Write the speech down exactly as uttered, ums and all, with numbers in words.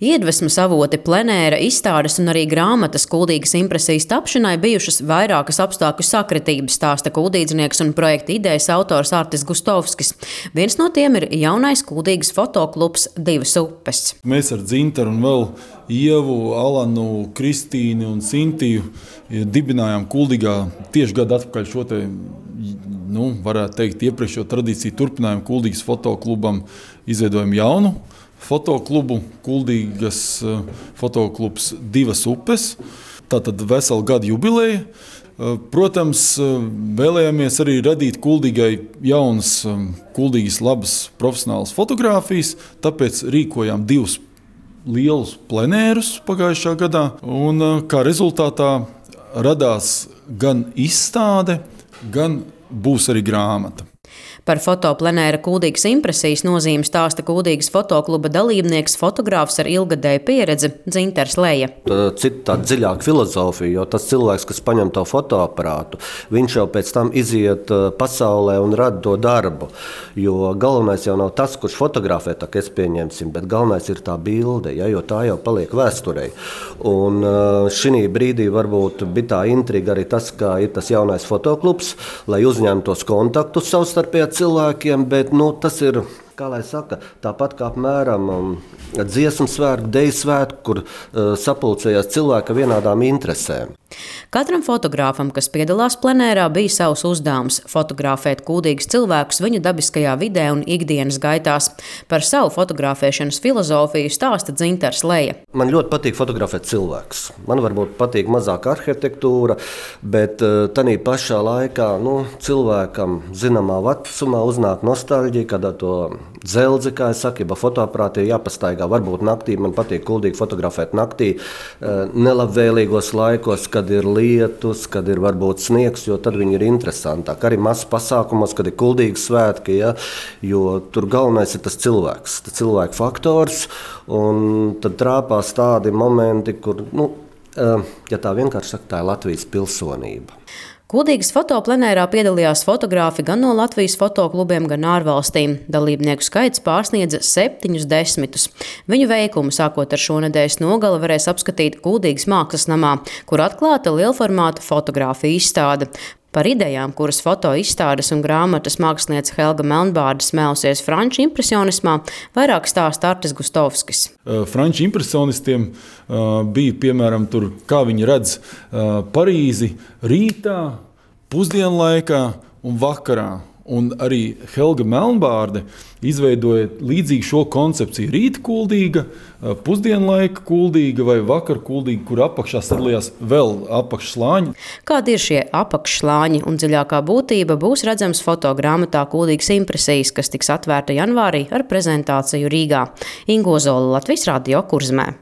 Iedvesmas avoti plenēra, izstādes un arī grāmatas Kuldīgas impresijas tapšanai bijušas vairākas apstākļu sakritības, stāsta kuldīdznieks un projekta idejas autors Artis Gustovskis. Viens no tiem ir jaunais Kuldīgas fotoklubs Divas upes. Mēs ar Dzintaru un vēl Ievu, Alanu, Kristīnu un Sintiju dibinājām Kuldīgā tieši gadu atpakaļ šo te, nu, varētu teikt, iepriekšējo tradīciju turpinājumu Kuldīgas fotoklubam, izveidojam jaunu fotoklubu, Kuldīgas fotoklubs Divas upes. Tātad veselu gadu jubileja. Protams, vēlējāmies arī radīt Kuldīgai jaunas, Kuldīgas labas profesionālas fotogrāfijas, tāpēc rīkojām divus lielus plenērus pagājušā gadā, un kā rezultātā radās gan izstāde, gan būs arī grāmata. Par fotoplenēra Kuldīgas impresijas nozīmi stāsta Kuldīgas fotokluba dalībnieks, fotogrāfs ar ilgadēju pieredzi Dzintars Leja. Cita tāda dziļāka filozofija, jo tas cilvēks, kas paņem to fotoaparātu, viņš jau pēc tam iziet pasaulē un rada to darbu. Jo galvenais jau nav tas, kurš fotografē, tā kā es pieņemsim, bet galvenais ir tā bilde, ja, jo tā jau paliek vēsturei. Un šī brīdī varbūt bija tā intriga arī tas, ka ir tas jaunais fotoklubs, lai uzņemtos kontaktus savstarpējā cilvēkiem, bet nu, tas ir, kā lai saka, tāpat kā apmēram um, dziesmu svētku, deju svētku, kur uh, sapulcējās cilvēki ar vienādām interesēm. Katram fotogrāfam, kas piedalās plenērā, bija savs uzdevums – fotografēt kuldīgus cilvēkus viņu dabiskajā vidē un ikdienas gaitās. Par savu fotografēšanas filozofiju stāsta Dzintars Leja. Man ļoti patīk fotografēt cilvēkus. Man varbūt patīk mazāk arhitektūra, bet tanī pašā laikā nu, cilvēkam zināmā vecumā uznāk nostalģija, kad to dzelzi, kā es saku, ja fotoaparāti ir jāpastaigā. Varbūt naktī, man patīk kuldīgi fotografēt naktī, nelabvēlīgos laikos, kad ir lietus, kad ir varbūt sniegs, jo tad viņi ir interesantāk. Arī mazs pasākumos, kad ir kuldīgi svētki, ja, jo tur galvenais ir tas cilvēks, tas cilvēku faktors, un tad trāpās tādi momenti, kur, nu, ja tā vienkārši saka, tā ir Latvijas pilsonība. Kuldīgas fotoplenērā piedalījās fotogrāfi gan no Latvijas fotoklubiem, gan ārvalstīm. Dalībnieku skaits pārsniedza septiņus desmitus. Viņu veikumu sākot ar šonedēļas nogali varēs apskatīt Kuldīgas mākslas namā, kur atklāta lielformāta fotogrāfija izstāde. Par idejām, kuras foto izstādes un grāmatas māksliniece Helga Melnbārde smēlusies franču impresionismā, vairāk stāsta Artis Gustovskis. Franču impresionistiem bija, piemēram, tur, kā viņi redz Parīzi rītā, pusdienlaikā un vakarā. Un arī Helga Melnbārde izveidoja līdzīgi šo koncepciju. Rīta kuldīga, pusdienlaika kuldīga vai vakar kuldīga, kur apakšā sadalījās vēl apakšslāņi. Kādi ir šie apakšslāņi un dziļākā būtība būs redzams fotogrāmatā Kuldīgas impresijas, kas tiks atvērta janvārī ar prezentāciju Rīgā. Ingo Zola, Latvijas Radio, Kurzemē.